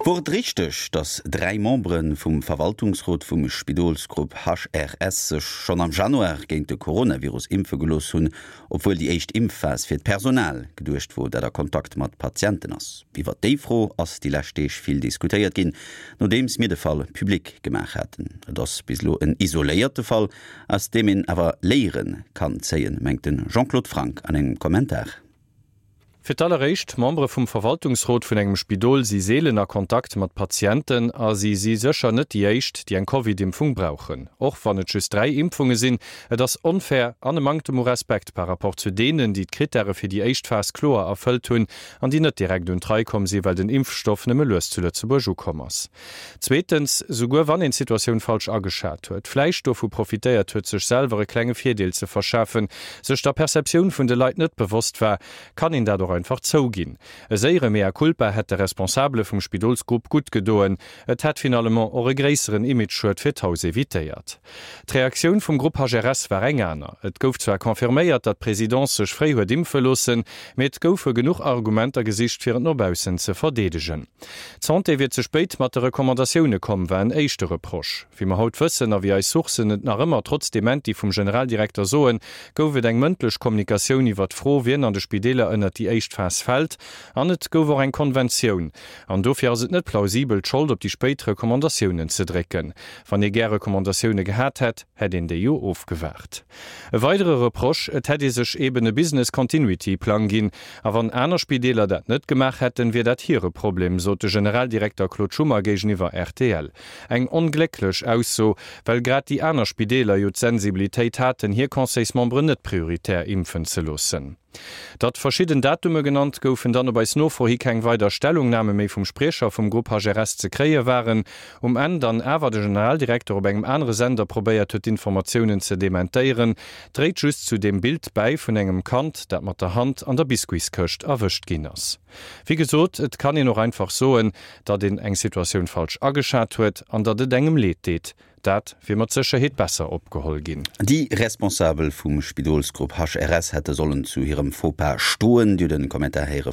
Wor et richteg, datt 3 Membere vum Verwaltungsrot vum Spidolsgrupp HRS sech schonn am Januar géint de Coronavirus impfe gelooss hunn, obwuel déi éischt Impfphas fir d'Personal geduecht wor, dat a Kontakt mat Patienten ass? Iwwer déi Fro ass déi lescht Deeg vill diskutéiert ginn, nodeems mir de Fall public gemaach haten. Et ass bis elo en isoléierte Fall, aus deem een awer Léiere kann zéien, mengt de Jean-Claude Franck an engem Kommentar. Fir d'alleréischt, Membere vum Verwaltungsrot vun engem Spidol si seelen a Kontakt mat Patienten a si si sécher net déi éischt, déi eng Covid-Impfung brauchen. Och wann et just 3 Impfunge sinn, et ass onfair an e Manktem u Respekt par rapport zu deenen, déi d'Krittäre fir déi éischt Phas kloer erfëllt hunn an déi net direkt un d'Rei komm si well den Impfstoff nëmme lues zu Lëtzebuerg ukomm ass. Zweetens, souguer wann een d'Situatioun falsch ageschat huet, vläicht dovu profitéiert huet sech selwer e klenge Virdeel ze verschafen, sech der Perceptioun vun de Leit net bewosst war, kann een dat och einfach zouginn. E séiere Mea culpa hätt de Responsabele vum Spidolsgrupp gutt gedoen. Et hätt finalement och e gréisseren Imageschued fir d'Haus evitéiert. D'Reaktioun vum Grupp HRS war eng aner. Et gouf zwar confirméiert, datt d'Presidence sech fréi huet impfe loossen, mee et goufe genuch Argumenter gesicht, fir et no baussen ze verdeedegen. D'Santé wier ze spéit mat de Recommandatioune komm, war en éischte Reproche. Wéi mer haut wëssen a wéi eis Sourcen et nach ëmmer trotz Dementi vum Generaldirekter soen, gouf et eng mëndlech Kommunikatioun iwwer d'Fro, wien an de Spideeler ënnert déi éischt Phas fält. An et gouf och eng Konventioun. An dofir ass et net plausibel, d'Schold op déi spéit Recommandatiounen ze drécken. Wann ee gär Recommandatioune gehat hätt, hätt een déi jo ofgewaart. E weidere Reproche, Et hätt ee sech eben e Business Continuity Plang ginn. A wann aner Spideeler dat net gemaach hätten, wier dat hire Problem, sot de Generaldirekter Claude Schummer géigeniwwer rtl. Eng onglécklech Ausso, well grad déi aner Spideeler jo d'Sensibilitéit haten, hir Conseilsmemberen net prioritär impfen ze loossen. Datt verschidden Datume genannt goufen, dann op eis Nofro hi keng weider Stellungname méi vum Spriecher vum Grupp HRS ze kréie waren. Um Enn dann awer de Generaldirekter op engem anere Sender probéiert huet d'Informatiounen ze dementéieren, dréit just zu deem Bild bäi vun engem Kand, dat mat der Hand an der Biscuitskëscht erwëscht ginn ass. Wéi gesot, et kann een och einfach soen, datt een eng Situatioun falsch ageschat huet an datt et engem leed deet. Dat wier mat Sécherheet besser opgeholl ginn. Déi Responsabel vum Spidolsgrupp HRS hätte sollen zu hirem Faux-pas stoen. Dir hutt en Kommentar héiere.